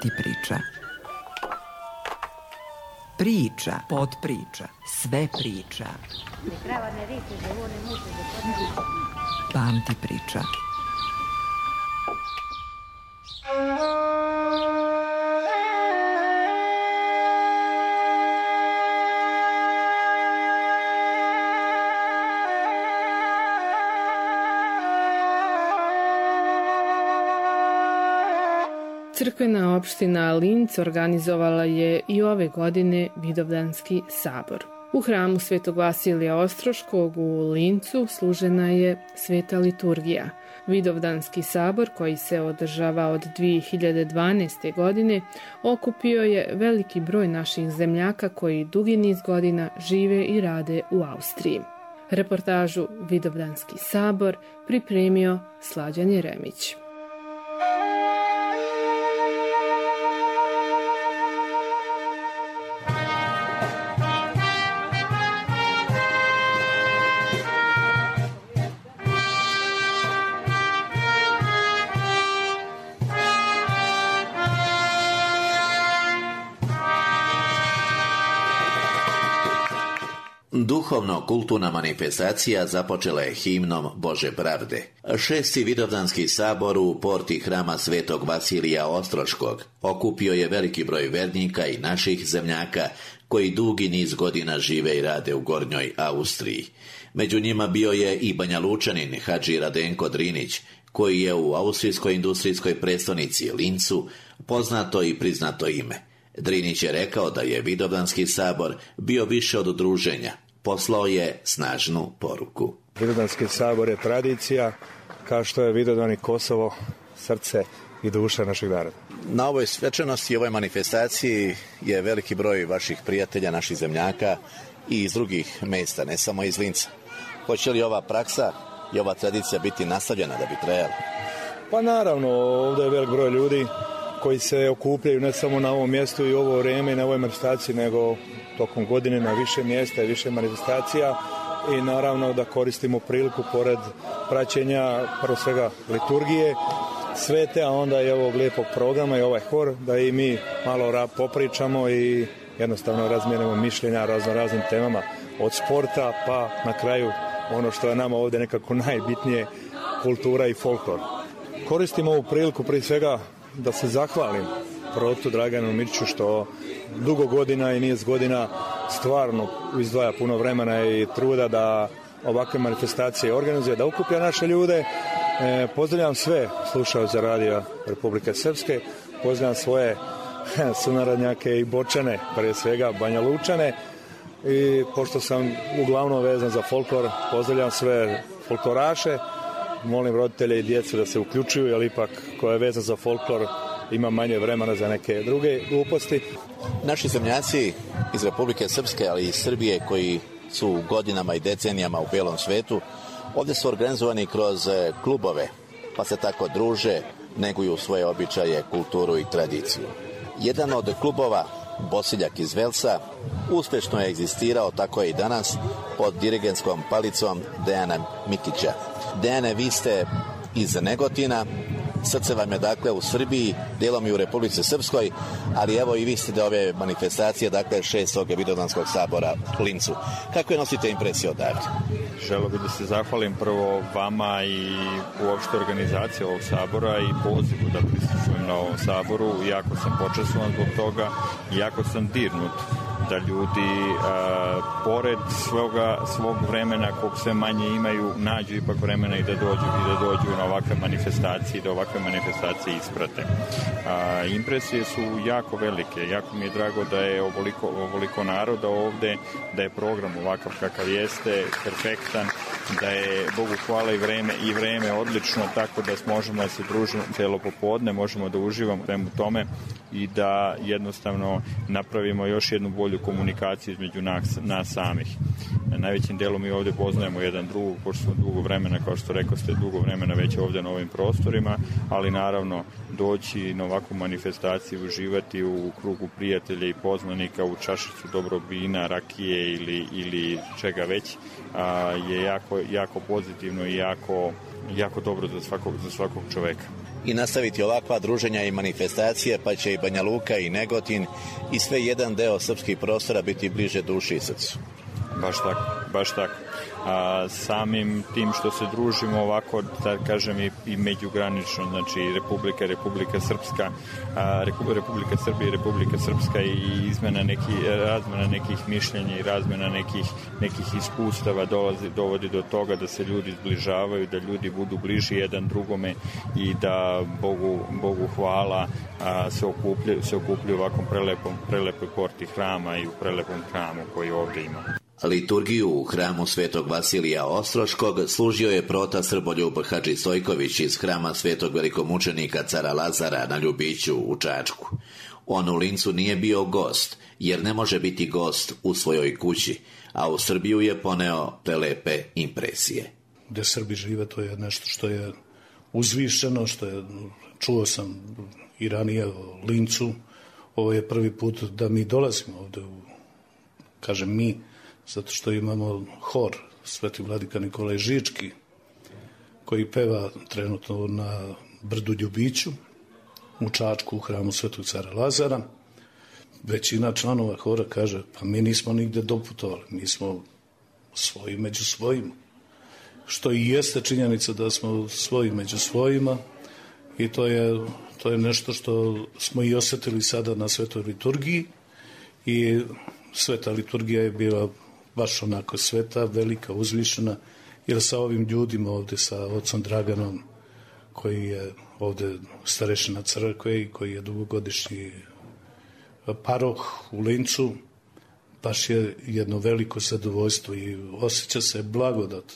Pamti priča. Priča, podpriča, sve priča. Pamti priča. Crkvena opština Linc organizovala je i ove godine Vidovdanski sabor. U hramu Svetog Vasilija Ostroškog u Lincu služena je sveta liturgija. Vidovdanski sabor, koji se održava od 2012. godine, okupio je veliki broj naših zemljaka koji dugi niz godina žive i rade u Austriji. Reportažu Vidovdanski sabor pripremio Slađan Jeremić. Duhovno-kulturna manifestacija započela je himnom Bože pravde. 6. Vidovdanski sabor u porti hrama Svetog Vasilija Ostroškog okupio je veliki broj vernika i naših zemljaka koji dugi niz godina žive i rade u Gornjoj Austriji. Među njima bio je i Banjalučanin Hadži Radenko Drinić, koji je u austrijskoj industrijskoj prestonici Lincu poznato i priznato ime. Drinić je rekao da je Vidovdanski sabor bio više od druženja. Poslao je snažnu poruku. Vidovdanski sabor je tradicija, kao što je Vidovdan i Kosovo, srce i duša našeg naroda. Na ovoj svečanosti i ovoj manifestaciji je veliki broj vaših prijatelja, naših zemljaka i iz drugih mesta, ne samo iz Linca. Hoće li ova praksa i ova tradicija biti nastavljena da bi trajala? Pa naravno, ovdje je velik broj ljudi koji se okupljaju ne samo na ovom mjestu i ovo vrijeme i na ovoj manifestaciji, nego tokom godine na više mjesta i više manifestacija i naravno da koristimo priliku pored praćenja prvo svega liturgije svete, a onda i ovog lijepog programa i ovaj hor, da i mi malo popričamo i jednostavno razmijenimo mišljenja raznim temama od sporta pa na kraju ono što je nama ovdje nekako najbitnije, kultura i folklor. Koristimo ovu priliku prije svega da se zahvalim protu Draganu Mirčiću što dugo godina i niz godina stvarno izdvaja puno vremena i truda da ovakve manifestacije organizuje, da okuplja naše ljude. Pozdravljam sve slušaoce radija Republike Srpske, pozdravljam svoje sunarodnjake i Bočane, prije svega Banjalučane, i pošto sam uglavnom vezan za folklor, pozdravljam sve folkloraše. Molim roditelje i djecu da se uključuju, jer ipak ko je vezan za folklor ima manje vremena za neke druge gluposti. Naši zemljaci iz Republike Srpske, ali i iz Srbije, koji su godinama i decenijama u belom svetu, ovdje su organizovani kroz klubove, pa se tako druže, neguju svoje običaje, kulturu i tradiciju. Jedan od klubova, Bosiljak iz Velsa, uspješno je egzistirao, tako je i danas, pod dirigentskom palicom Dejana Mikića. Dejane, vi ste iz Negotina, srce vam je dakle u Srbiji, dijelom i u Republici Srpskoj, ali evo i vi ste da ove manifestacije, dakle 6. Vidovdanskog sabora u Lincu. Kako je nosite impresije odavde? Želeo bih da se zahvalim prvo vama i uopšte organizaciji ovog sabora i pozivu da prisustvujem na ovom saboru. Jako sam počastvovan zbog toga, jako sam dirnut da ljudi pored svog vremena kog sve manje imaju, nađu ipak vremena i da dođu na ovakve manifestacije i da ovakve manifestacije isprate. Impresije su jako velike, jako mi je drago da je ovoliko naroda ovde, da je program ovakav kakav jeste, perfektan, da je Bogu hvala i vreme odlično, tako da možemo da se družimo celo popodne, možemo da uživamo u tome i da jednostavno napravimo još jednu bolju komunikaciju između nas samih. Najvećim delom mi ovdje poznajemo jedan drugog, pošto smo dugo vremena, kao što rekao ste, dugo vremena već ovdje na ovim prostorima, ali naravno doći na ovakvu manifestaciju, uživati u krugu prijatelja i poznanika, u čašicu dobrog vina, rakije ili čega već, je jako pozitivno i jako dobro za svakog čoveka. i nastaviti ovakva druženja i manifestacije, pa će i Banja Luka i Negotin i sve jedan deo srpskih prostora biti bliže duši i srcu. Baš tako. Samim tim što se družimo ovako, da kažem, i međugranično, znači Republika Srpska, Republika Srbija i Republika Srpska, i razmena nekih mišljenja i razmena nekih iskustava dovodi do toga da se ljudi zbližavaju, da ljudi budu bliži jedan drugome i da Bogu hvala se okupljaju u ovakvom prelepoj porti hrama i u prelepom hramu koji ovde ima. Liturgiju u hramu Svetog Vasilija Ostroškog služio je prota Srboljub Hadži Stojković iz hrama Svetog velikomučenika cara Lazara na Ljubiću u Čačku. On u Lincu nije bio gost, jer ne može biti gost u svojoj kući, a u Srbiju je poneo prelepe impresije. Gde Srbi žive, to je nešto što je uzvišeno, čuo sam i ranije o Lincu. Ovo je prvi put da mi dolazimo ovde, kažem mi, zato što imamo hor Sveti Vladika Nikolaj Žički, koji peva trenutno na brdu Ljubiću u Čačku u hramu Svetog cara Lazara. Većina članova hora kaže, pa mi nismo nigde doputovali, mi smo svoji među svojima. Što i jeste činjenica da smo svoji među svojima, i to je nešto što smo i osetili sada na Svetoj liturgiji, i Sveta liturgija je bila baš onako sveta, velika, uzvišena, jer sa ovim ljudima ovde, sa ocom Draganom, koji je ovde starešina crkve i koji je dugogodišnji paroh u Lincu, baš je jedno veliko zadovoljstvo i osjeća se blagodat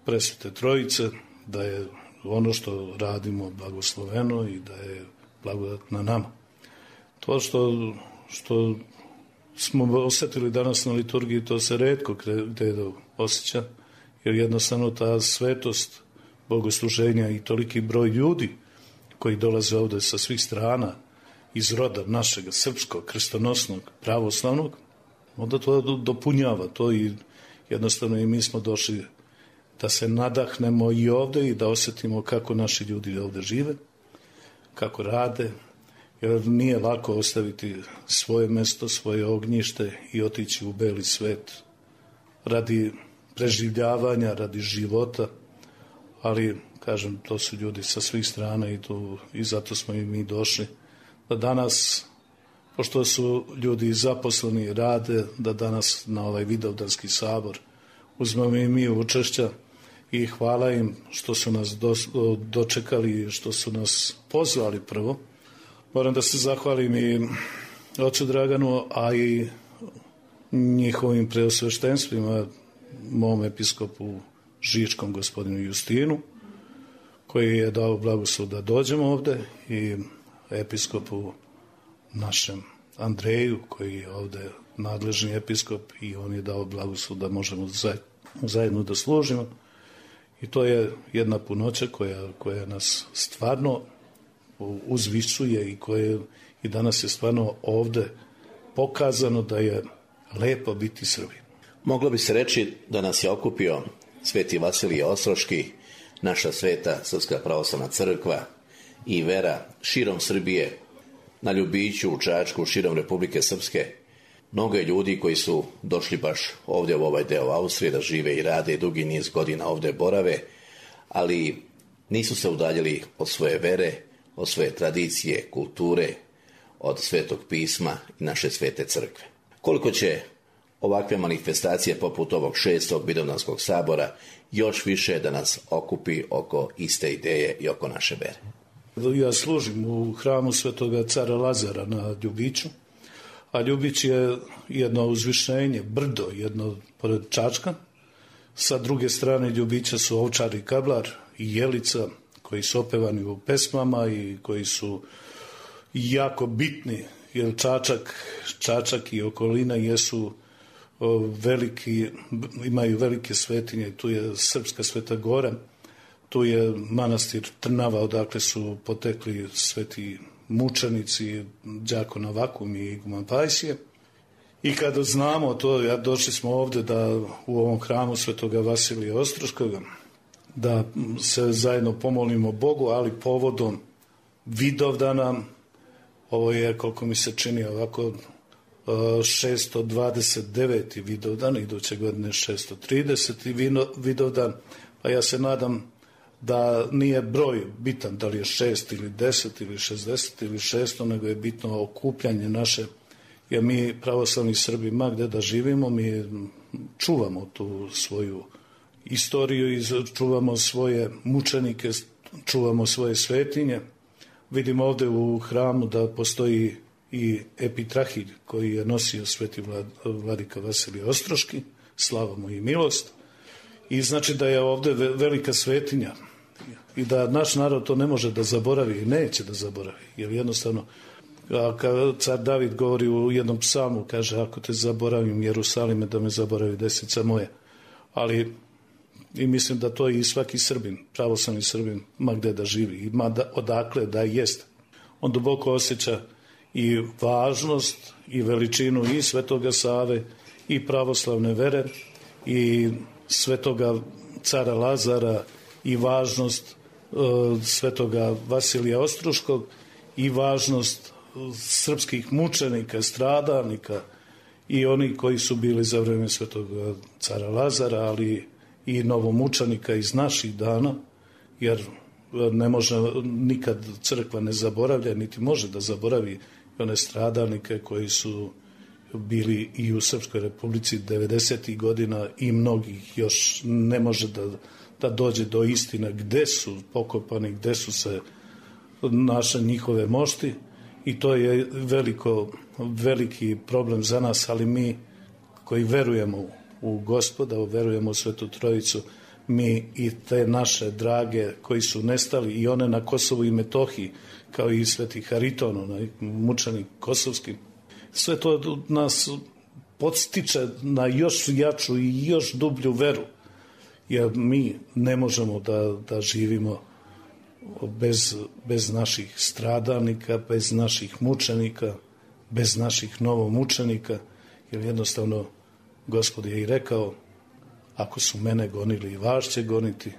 Presvete Trojice, da je ono što radimo blagosloveno i da je blagodat na nama. To što smo osetili danas na liturgiji, to se retko gde osjeća, jer jednostavno ta svetost bogosluženja i toliki broj ljudi koji dolaze ovde sa svih strana iz roda našeg srpskog, krstonosnog, pravoslavnog, onda to dopunjava to, i jednostavno i mi smo došli da se nadahnemo i ovde i da osetimo kako naši ljudi ovde žive, kako rade, jer nije lako ostaviti svoje mesto, svoje ognjište i otići u beli svet radi preživljavanja, radi života, ali, kažem, to su ljudi sa svih strana i zato smo i mi došli, da danas, pošto su ljudi zaposleni i rade, da danas na ovaj Vidovdanski sabor uzmemo i mi učešća, i hvala im što su nas dočekali i što su nas pozvali prvo. Moram da se zahvalim i ocu Draganu, a i njihovim preosveštenstvima, mom episkopu Žičkom, gospodinu Justinu, koji je dao blagoslov da dođemo ovde, i episkopu našem Andreju, koji je ovde nadležni episkop, i on je dao blagoslov da možemo zajedno da služimo. I to je jedna punoća koja nas stvarno uzvišuje i danas je stvarno ovde pokazano da je lepo biti Srbin. Moglo bi se reći da nas je okupio Sveti Vasilije Ostroški, naša sveta Srpska pravoslavna crkva i vera širom Srbije, na Ljubiću, u Čačku, širom Republike Srpske. Mnogo je ljudi koji su došli baš ovdje u ovaj deo Austrije da žive i rade i dugi niz godina ovdje borave, ali nisu se udaljili od svoje vere, od svoje tradicije, kulture, od Svetog pisma i naše svete crkve. Koliko će ovakve manifestacije poput ovog 6. Vidovdanskog sabora još više da nas okupi oko iste ideje i oko naše vere? Ja služim u hramu Svetoga cara Lazara na Ljubiću, a Ljubić je jedno uzvišenje, brdo, jedno pored Čačka. Sa druge strane Ljubića su Ovčar i Kablar i Jelica, koji su opevani u pesmama i koji su jako bitni, jer Čačak i okolina jesu imaju velike svetinje. Tu je Srpska Sveta Gora, tu je manastir Trnava, odakle su potekli sveti mučenici Đako Novakum i Iguman Pajsije. I kada znamo to, došli smo ovde da u ovom hramu Svetoga Vasilija Ostroškoga, da se zajedno pomolimo Bogu, ali povodom Vidovdana, ovo je, koliko mi se čini ovako, 629. Vidovdan, iduće godine 630. Vidovdan, pa ja se nadam da nije broj bitan, da li je 6 ili 10 ili 60 ili 600, nego je bitno okupljanje naše, jer mi pravoslavni Srbi, ma gde da živimo, mi čuvamo tu svoju istoriju i čuvamo svoje mučenike, čuvamo svoje svetinje. Vidimo ovde u hramu da postoji i epitrahilj koji je nosio sveti vladika Vasilije Ostroški, slava mu i milost. I znači da je ovde velika svetinja i da naš narod to ne može da zaboravi i neće da zaboravi, jer jednostavno, kada car David govori u jednom psalmu, kaže, ako te zaboravim Jerusalime, da me zaboravi desica moja. Ali i mislim da to i svaki Srbin, pravoslavni Srbin, ma gde da živi i odakle da jest, on duboko osjeća i važnost i veličinu i Svetoga Save i pravoslavne vere i Svetoga cara Lazara i važnost Svetoga Vasilija Ostroškog i važnost srpskih mučenika, stradalnika i oni koji su bili za vreme Svetoga cara Lazara, ali i novomučenika iz naših dana, jer ne može nikad crkva ne zaboravlja, niti može da zaboravi one stradalnike koji su bili i u Srpskoj Republici 90. godina i mnogih još ne može da dođe do istine gde su pokopani, gde su se naše njihove mošti, i to je veliki problem za nas, ali mi koji verujemo u Gospoda, verujemo u Svetu Trojicu, mi i te naše drage koji su nestali i one na Kosovu i Metohiji, kao i Sveti Hariton, mučenik kosovski, sve to nas podstiče na još jaču i još dublju veru, jer mi ne možemo da živimo bez naših stradalnika, bez naših mučenika, bez naših novomučenika, jer jednostavno Gospod je i rekao, ako su mene gonili, i vas će goniti,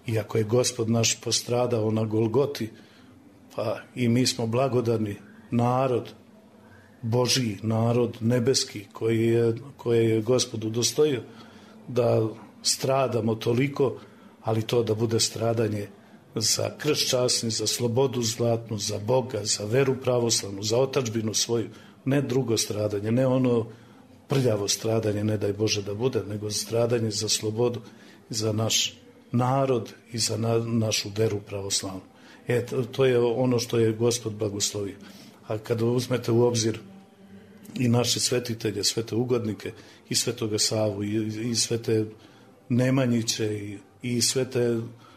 i ako je Gospod naš postradao na Golgoti, pa i mi smo blagodarni narod, Božji narod, nebeski, koje je Gospod udostojio da stradamo toliko, ali to da bude stradanje za krst časni, za slobodu zlatnu, za Boga, za veru pravoslavnu, za otadžbinu svoju, ne drugo stradanje, ne ono prljavo stradanje, ne daj Bože da bude, nego stradanje za slobodu, za naš narod i za našu veru pravoslavnu. To je ono što je Gospod blagoslovio. A kada uzmete u obzir i naše svetitelje, svete ugodnike, i Svetoga Savu, i svete Nemanjiće, i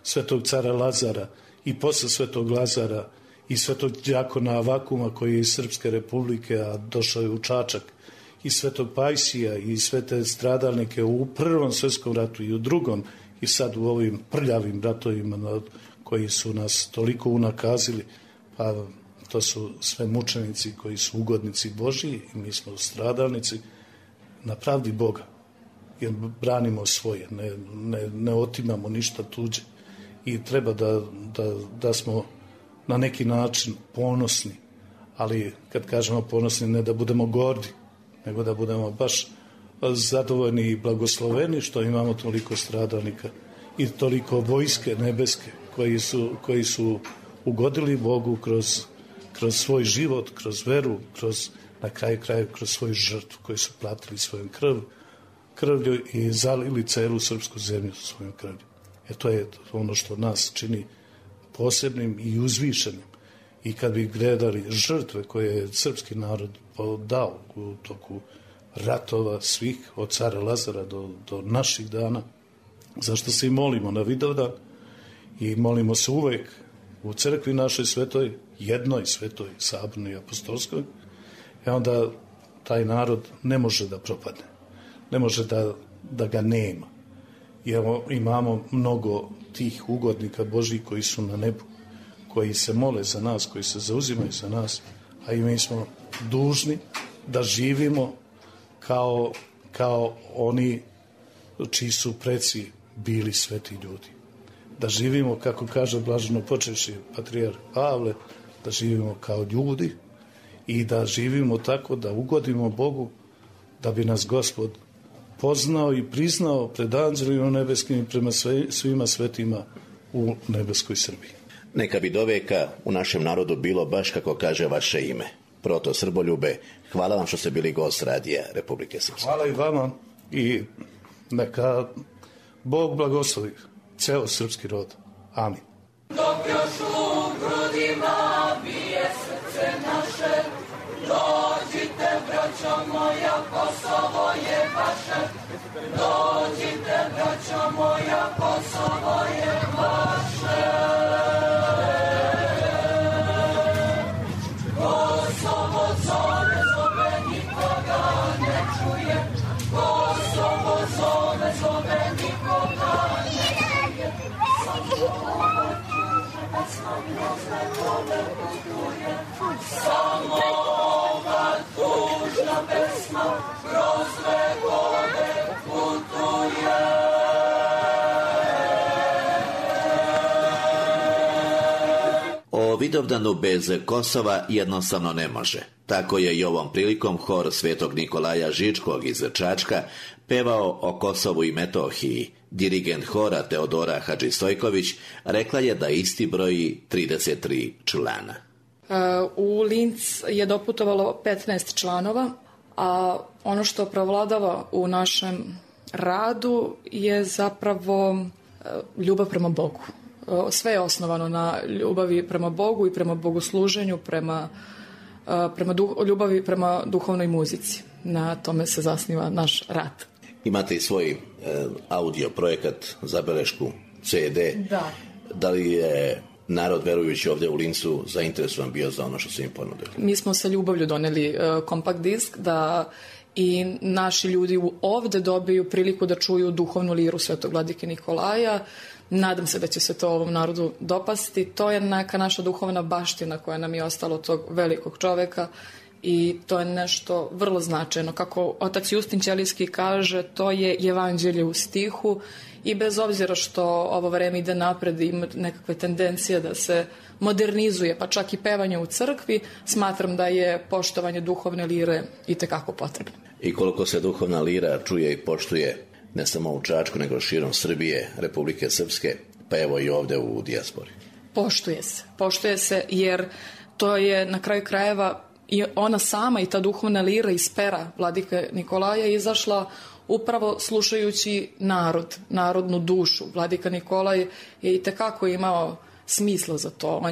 svetog cara Lazara, i posle Svetog Lazara, i svetog đakona Avakuma, koji je iz Srpske Republike, a došao je u Čačak, i svetog Pajsija, i svete stradalnike u Prvom svetskom ratu i u Drugom, i sad u ovim prljavim ratovima koji su nas toliko unakazili, pa to su sve mučenici koji su ugodnici Božiji i mi smo stradalnici na pravdi Boga, jer branimo svoje, ne otimamo ništa tuđe, i treba da smo na neki način ponosni, ali kad kažemo ponosni, ne da budemo gordi, nego da budemo baš zadovoljni i blagosloveni što imamo toliko stradalnika i toliko vojske nebeske koji su ugodili Bogu kroz svoj život, kroz veru, na kraju kroz svoju žrtvu, koji su platili svojom krvlju i zalili celu srpsku zemlju svojom krvlju. To je ono što nas čini posebnim i uzvišenim. I kad bi gledali žrtve koje je srpski narod dao u toku ratova svih, od cara Lazara do naših dana, zašto se i molimo na Vidovdan i molimo se uvek u crkvi našoj svetoj, jednoj svetoj, sabornoj i apostolskoj, onda taj narod ne može da propadne, ne može da ga nema. Imamo mnogo tih ugodnika Božjih koji su na nebu, koji se mole za nas, koji se zauzimaju za nas, a i mi smo dužni da živimo kao oni čiji su preci bili sveti ljudi. da živimo, kako kaže blaženo počevši patrijarh Pavle, da živimo kao ljudi i da živimo tako da ugodimo Bogu, da bi nas Gospod poznao i priznao pred anđelima nebeskim i prema svima svetima u nebeskoj Srbiji. Neka bi doveka u našem narodu bilo baš kako kaže vaše ime. Proto Srboljube, hvala vam što ste bili gost radija Republike Srpske. Hvala i vama i neka Bog blagoslovi ceo srpski rod. Amin. Dok još u grudima bije srce naše, dođite, braćo moja, Kosovo je vaše. Dođite, braćo moja, Kosovo je vaše. Kosovo zove, zove, nikoga ne čuje. Kosovo zove, zove, nikoga ne čuje. Samo ova tužna pesma kroz vekove putuje. O Vidovdanu bez Kosova jednostavno ne može. Tako je i ovom prilikom hor Svetog Nikolaja Žičkog iz Čačka pevao o Kosovu i Metohiji. Dirigent hora Teodora Hadžistojković rekla je da isti broji 33 člana. U Linz je doputovalo 15 članova, a ono što prevladava u našem radu je zapravo ljubav prema Bogu. Sve je osnovano na ljubavi prema Bogu i prema bogosluženju, ljubavi prema duhovnoj muzici. Na tome se zasniva naš rad. Imate i svoj audio projekat, zabelešku, CD. Da. Da li je narod, verujući ovdje u Lincu, zainteresovan bio za ono što su im ponudili? Mi smo sa ljubavlju doneli kompakt disk da i naši ljudi ovdje dobiju priliku da čuju duhovnu liru Svetog vladike Nikolaja. Nadam se da će se to ovom narodu dopasti. To je neka naša duhovna baština koja nam je ostala od tog velikog čoveka i to je nešto vrlo značajno. Kako otac Justin Ćelijski kaže, to je evanđelje u stihu i bez obzira što ovo vreme ide napred i ima nekakve tendencije da se modernizuje, pa čak i pevanje u crkvi, smatram da je poštovanje duhovne lire itekako potrebno. I koliko se duhovna lira čuje i poštuje ne samo u Čačku, nego širom Srbije, Republike Srpske, pa evo i ovdje u dijaspori. Poštuje se jer to je na kraju krajeva i ona sama i ta duhovna lira iz pera vladike Nikolaja izašla upravo slušajući narodnu dušu. Vladika Nikolaj je itekako imao smisla za to.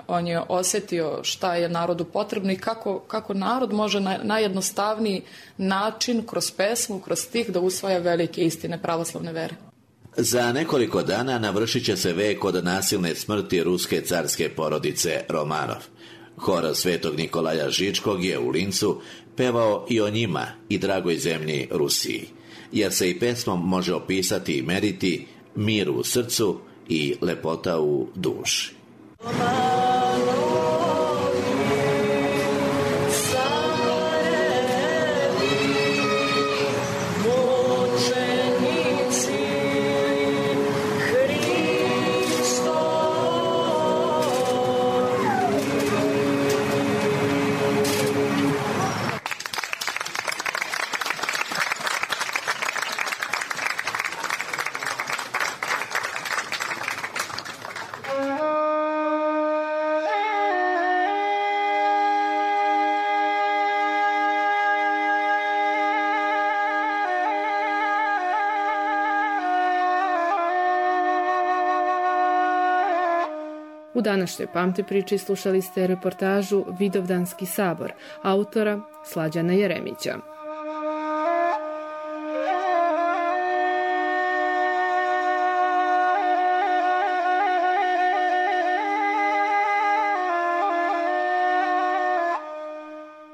On je osjetio šta je narodu potrebno i kako narod može na najjednostavniji način, kroz pesmu, kroz stih, da usvaja velike istine pravoslavne vere. Za nekoliko dana navršit će se vek od nasilne smrti ruske carske porodice Romanov. Hor Svetog Nikolaja Žičkog je u Lincu pevao i o njima i dragoj zemlji Rusiji, jer se i pesmom može opisati i meriti mir u srcu i lepota u duši. U današnjoj Pamti priči slušali ste reportažu Vidovdanski sabor, autora Slađana Jeremića.